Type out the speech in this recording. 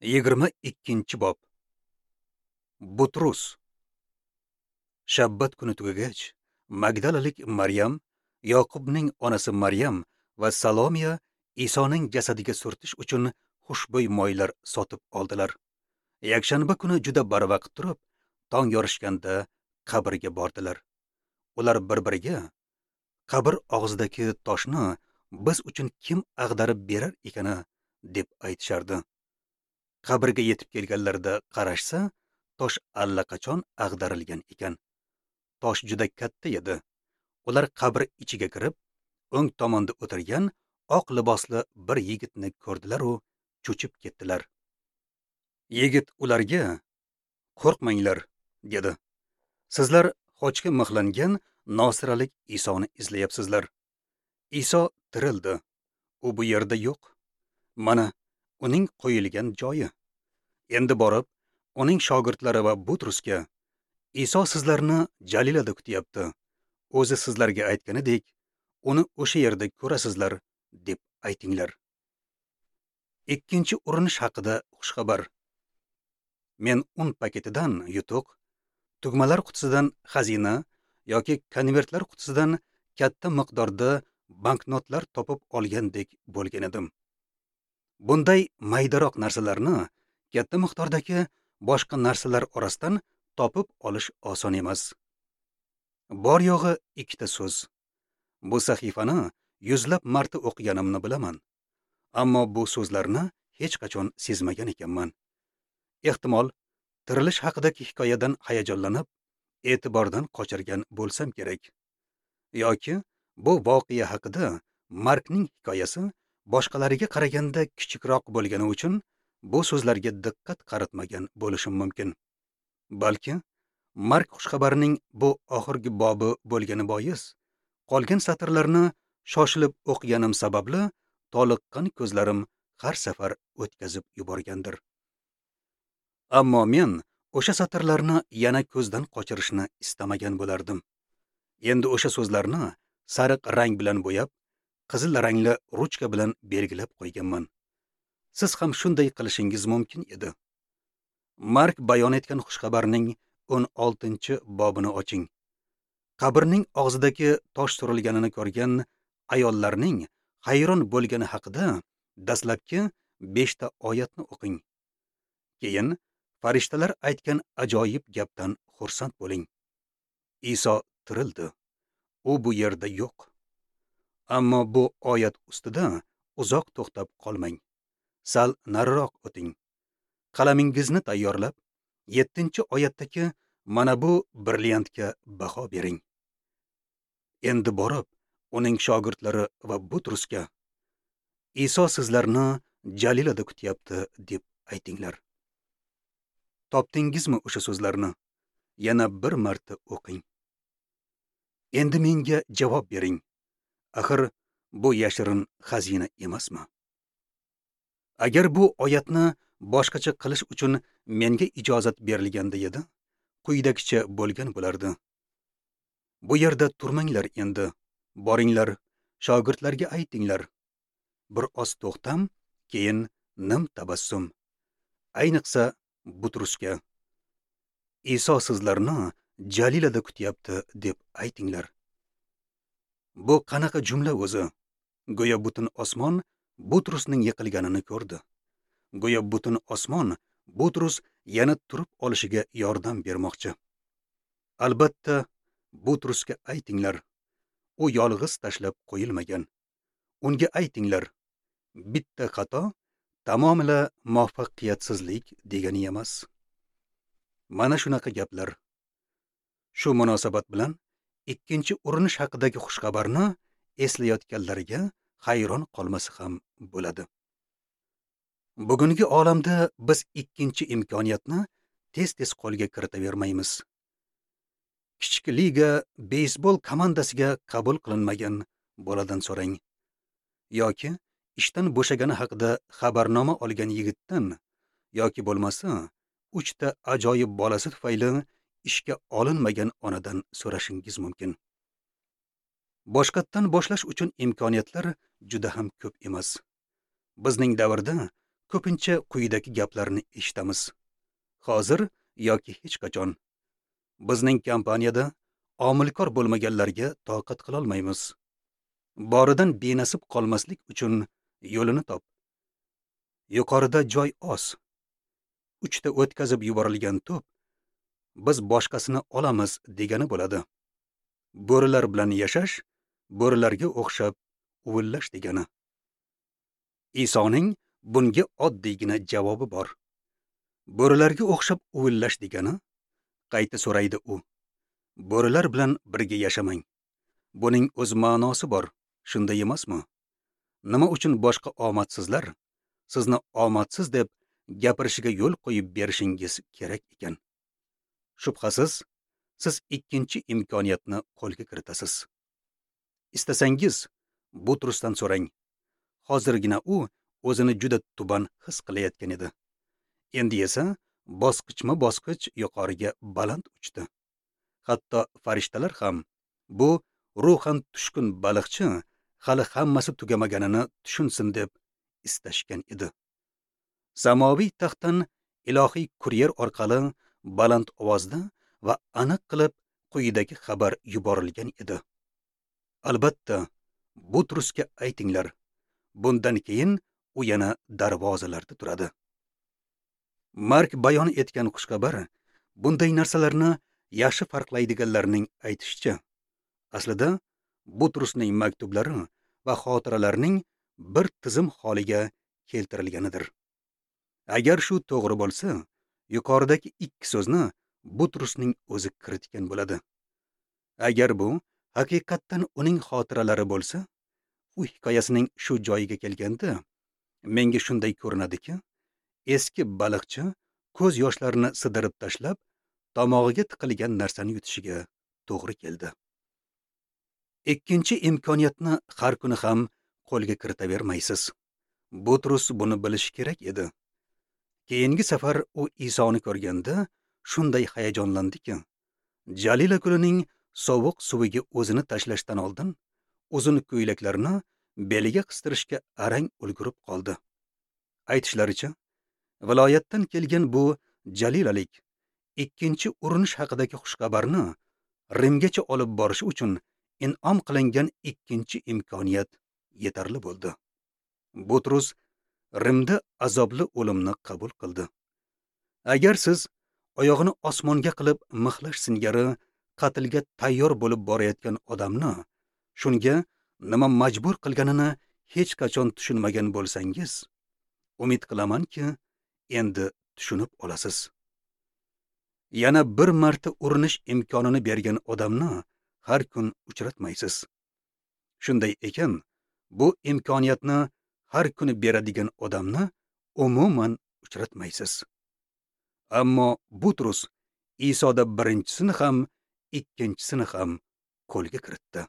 22-bob. Butrus. Shabbat kuni tugagach, Magdalalik Maryam, Yoqubning onasi Maryam va Salomiya Isoning jasadiga surtish uchun xushbo'y moylar sotib oldilar. Yakshanba kuni juda barvaqt turib, tong yorishganda qabrga bordilar. Ular bir-biriga: "Qabr og'zidagi toshni biz uchun kim ag'darib berar ekani?" deb aytishardi. Qabrga yetib kelganlarida qarashsa, tosh allaqachon ag'darilgan ekan. Tosh juda katta edi. Ular qabr ichiga kirib, o'ng tomonda o'tirgan oq libosli bir yigitni ko'rdilar u cho'chib ketdilar. Yigit ularga: "Qo'rqmanglar", dedi. "Sizlar xochga mixlangan Nosiralik Isoni izlayapsizlar. Iso tirildi. U bu yerda yo'q. Mana uning qo'yilgan joyi. Endi borib, uning shogirdlari va Butrusga: Iso sizlarni Jalilada kutyapti. O'zi sizlarga aytganidek, uni o'sha yerda ko'rasizlar, deb aytinglar." Ikkinchi urinish haqida xushxabar. Men un paketidan yutuq, tugmalar qutisidan xazina yoki konvertlar qutisidan katta miqdorda banknotlar topib olgandek bo'lgan edim. Bunday maydaroq narsalarni katta miqdordagi boshqa narsalar orasidan topib olish oson emas. Bor yo'g'i ikkita so'z. Bu sahifani yuzlab marta o'qiganimni bilaman. Ammo bu so'zlarni hech qachon sezmagan ekanman. Ehtimol, tirilish haqidagi hikoyadan hayajonlanib, e'tibordan qochirgan bo'lsam kerak. Yoki bu voqea haqida Markning hikoyasi boshqalariga qaraganda kichikroq bo'lgani uchun bu so'zlarga diqqat qaratmagan bo'lishim mumkin. Balki Mark xushxabarining bu oxirgi bobi bo'lgani bois, qolgan satrlarni shoshilib o'qiganim sababli toliqqan ko'zlarim har safar o'tkazib yuborgandir. Ammo men o'sha satrlarni yana ko'zdan qochirishni istamagan bo'lardim. Endi o'sha so'zlarni sariq rang bilan bo'yab, qizil rangli ruchka bilan belgilab qo'yganman. Siz ham shunday qilishingiz mumkin edi. Mark bayon etgan xushxabarning 16-bobini oching. Qabrning og'zidagi tosh surilganini ko'rgan ayollarning hayron bo'lgani haqida dastlabki 5 ta oyatni o'qing. Keyin farishtalar aytgan ajoyib gapdan xursand bo'ling. Iso tirildi. U bu yerda yo'q. Ammo bu oyat ustida uzoq to'xtab qolmang. Sal nariroq o'ting. Qalamingizni tayyorlab, 7-oyatdagi mana bu brilliantga baho bering. Endi borib, uning shogirdlari va Butrusga: "Iso sizlarni Jalilada kutyapti", deb aytinglar. Topdingizmi o'sha so'zlarni? Yana bir marta o'qing. Endi menga javob bering. Axir bu yashirin xazina emasmi? Agar bu oyatni boshqacha qilish uchun menga ijozat berilganda edi, quyidagicha bo'lgan bo'lardi. Bu yerda turmanglar endi. Boringlar, shogirdlarga aytinglar. Bir oz to'xtam, keyin nim tabassum. Ayniqsa Butrusga: "Iso sizlarni Jalilada kutyapti", deb aytinglar. Bu qanaqa jumla o'zi? Go'yo butun osmon Butrusning yiqilganini ko'rdi. Go'yo butun osmon Butrus yana turib olishiga yordam bermoqchi. Albatta, Butrusga aytinglar, u yolg'iz tashlab qo'yilmagan. Unga aytinglar, bitta xato tamomila muvaffaqiyatsizlik degani emas. Mana shunaqa gaplar. Shu munosabat bilan ikkinchi urinish haqidagi xushxabarni eslayotganlarga hayron qolmasa ham bo'ladi. Bugungi olamda biz ikkinchi imkoniyatni tez-tez qo'lga kiritavermaymiz. Kichik liga beysbol komandasiga qabul qilinmagan boladan so'rang. Yoki ishdan bo'shagani haqida xabarnoma olgan yigitdan, yoki bo'lmasa 3 ta ajoyib bolasi tufayli ishga olinmagan onadan so'rashingiz mumkin. Boshqatdan boshlash uchun imkoniyatlar juda ham ko'p emas. Bizning davrda ko'pincha quyidagi gaplarni eshitamiz. Hozir yoki hech qachon. Bizning kompaniyada omilkor bo'lmaganlarga toqat qila olmaymiz. Boridan benasib qolmaslik uchun yo'lini top. Yuqorida joy oz. 3 ta o'tkazib yuborilgan to'p biz boshqasini olamiz degani bo'ladi. Bo'rilar bilan yashash, bo'rilarga o'xshab uvillash degani. Isoning bunga oddiygina javobi bor. Bo'rilarga o'xshab uvillash degani, qayta so'raydi u. Bo'rilar bilan birga yashamang. Buning o'z ma'nosi bor, shunday emasmi? Nima uchun boshqa omadsizlar sizni omadsiz deb gapirishiga yo'l qo'yib berishingiz kerak ekan? Shubhasiz, siz ikkinchi imkoniyatni qo'lga kiritasiz. Istasangiz, Butrusdan so'rang. Hozirgina u o'zini juda tuban his qilayotgan edi. Endi esa bosqichma-bosqich yuqoriga baland uchdi. Hatto farishtalar ham bu ruhan tushkun baliqchi hali hammasi tugamaganini tushunsin deb istashgan edi. Samoviy taxtdan ilohiy kuryer orqali baland ovozda va aniq qilib quyidagi xabar yuborilgan edi. Albatta, Butrusga aytinglar. Bundan keyin u yana darvozalarda turadi. Mark bayon etgan xushxabar bunday narsalarni yaxshi farqlaydiganlarning aytishicha, aslida Butrusning maktublari va xotiralarining bir tizim holiga keltirilganidir. Agar shu to'g'ri bo'lsa, yuqoridagi ikki so'zni Butrusning o'zi kiritgan bo'ladi. Agar bu haqiqatdan uning xotiralari bo'lsa, u hikoyasining shu joyiga kelganda, menga shunday ko'rinadiki, eski baliqchi ko'z yoshlarini sidirib tashlab, tomog'iga tiqilgan narsani yutishiga to'g'ri keldi. Ikkinchi imkoniyatni har kuni ham qo'lga kiritavermaysiz. Butrus buni bilishi kerak edi. Keyingi safar u Isoni ko'rganda shunday hayajonlandiki, Jalila ko'lining sovuq suviga o'zini tashlashdan oldin uzun ko'ylaklarini beliga qistirishga arang ulgurib qoldi. Aytishlaricha, viloyatdan kelgan bu Jalilalik ikkinchi urinish haqidagi xushxabarni Rimgacha olib borish uchun in'om qilingan ikkinchi imkoniyat yetarli bo'ldi. Butrus Rimda azobli o'limni qabul qildi. Agar siz oyog'ini osmonga qilib mixlash singari qatlga tayyor bo'lib borayotgan odamni shunga nima majbur qilganini hech qachon tushunmagan bo'lsangiz, umid qilamanki, endi tushunib olasiz. Yana bir marta urinish imkonini bergan odamni har kun uchratmaysiz. Shunday ekan, bu imkoniyatni har kuni beradigan odamni umuman uchratmaysiz. Ammo Butrus Isoda birinchisini ham, ikkinchisini ham qo'lga kiritdi.